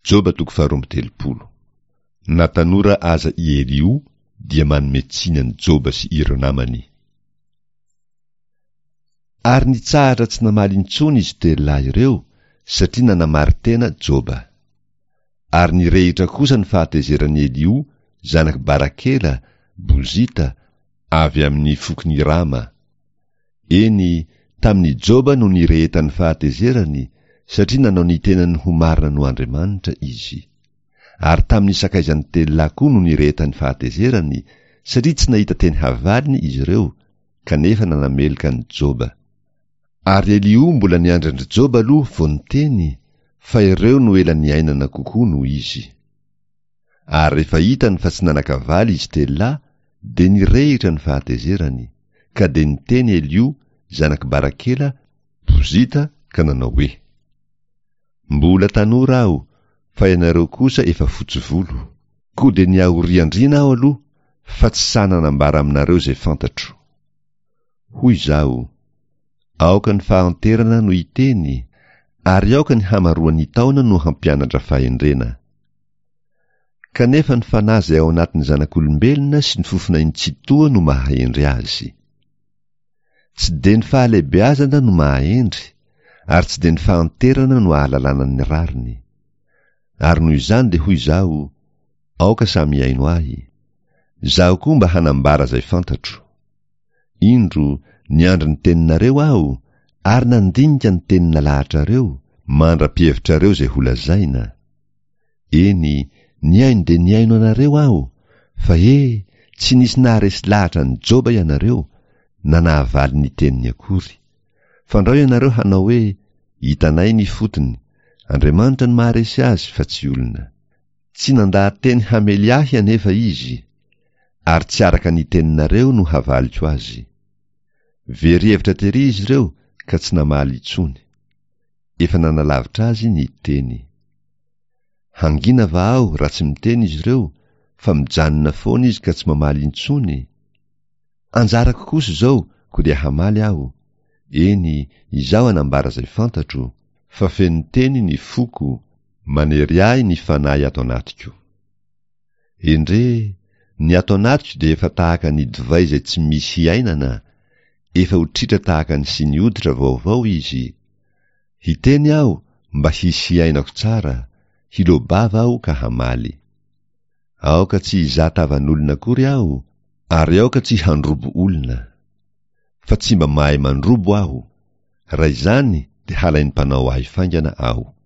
Joba toko faharoa 32. Na tanora aza i Eliho dia manome tsiny an'i Joba sy ireo namany. Ary nitsahatra tsy namaly intsony izy telo lahy ireo satria nanamari-tena Joba. Ary nirehitra kosa ny fahatezeran'i Eliho zanak'i Barakela, Bozita, avy amin'ny fokon'i Rama. Eny, tamin'i Joba no nirehetan'ny fahatezerany, satria nanao ny tenany ho marina noho Andriamanitra izy. Ary tamin'ny sakaizany telo lahy koa no nirehetan'ny fahatezerany, satria tsy nahita teny havaliny izy ireo, kanefa nanameloka an'i Joba. Ary Eliho mbola niandry an-dry Joba aloha vao niteny, fa ireo no ela niainana kokoa noho izy. Ary rehefa hitany fa tsy nanan-kavaly izy telo lahy, dia nirehitra ny fahatezerany, ka dia niteny Eliho, zanak'i Barakela, Bozita, ka nanao hoe, Mbola tanora aho, fa ianareo kosa efa fotsy volo. Koa dia niahoriandriana aho aloha, fa tsy sahy nanambara aminareo izay fantatro. Hoy izaho, Aoka ny fahanterana no hiteny, ary aoka ny hamaroan'ny taona no hampianatra fahendrena. Kanefa ny fanahy izay ao anatin'ny zanak'olombelona sy ny fofonain'ny Tsitoha no mahahendry azy. Tsy dia ny fahalehibeazana no mahahendry, ary tsy dia ny fahanterana no ahalalana ny rariny. Ary noho izany dia hoy izaho, Aoka samy hihaino ahy. Izaho koa mba hanambara izay fantatro. Indro, niandry ny teninareo aho, ary nandinika ny teny nalahatrareo, mandra-pihevitrareo izay holazaina. Eny, nihaino dia nihaino anareo aho, fa he, tsy nisy naharesy lahatra an'i Joba ianareo, na nahavaly ny teniny akory. Fandrao ianareo hanao hoe, Hitanay ny fotony, Andriamanitra no maharesy azy fa tsy olona. Tsy nandaha-teny hamely ahy anefa izy, ary tsy araka ny teninareo no havaliko azy. Very hevitra tery izy ireo ka tsy namaly intsony. Efa nanalavitra azy ny teny. Hangina va aho raha tsy miteny izy ireo, fa mijanona foana izy ka tsy mamaly intsony? Anjarako kosa izao, koa dia hamaly aho, eny, izaho hanambara izay fantatro, fa feno teny ny foko, manery ahy ny fanahy ato anatiko. Endrey, ny ato anatiko dia efa tahaka ny divay izay tsy misy hiainana, efa ho tritra tahaka ny siny hoditra vaovao izy. Hiteny aho mba hisy hiainako tsara, hiloa-bava aho ka hamaly. Aoka tsy hizaha tavan'olona akory aho, ary aoka tsy handrobo olona. Fa tsy mba mahay mandrobo aho, raha izany dia halain'ny mpanao ahy faingana aho.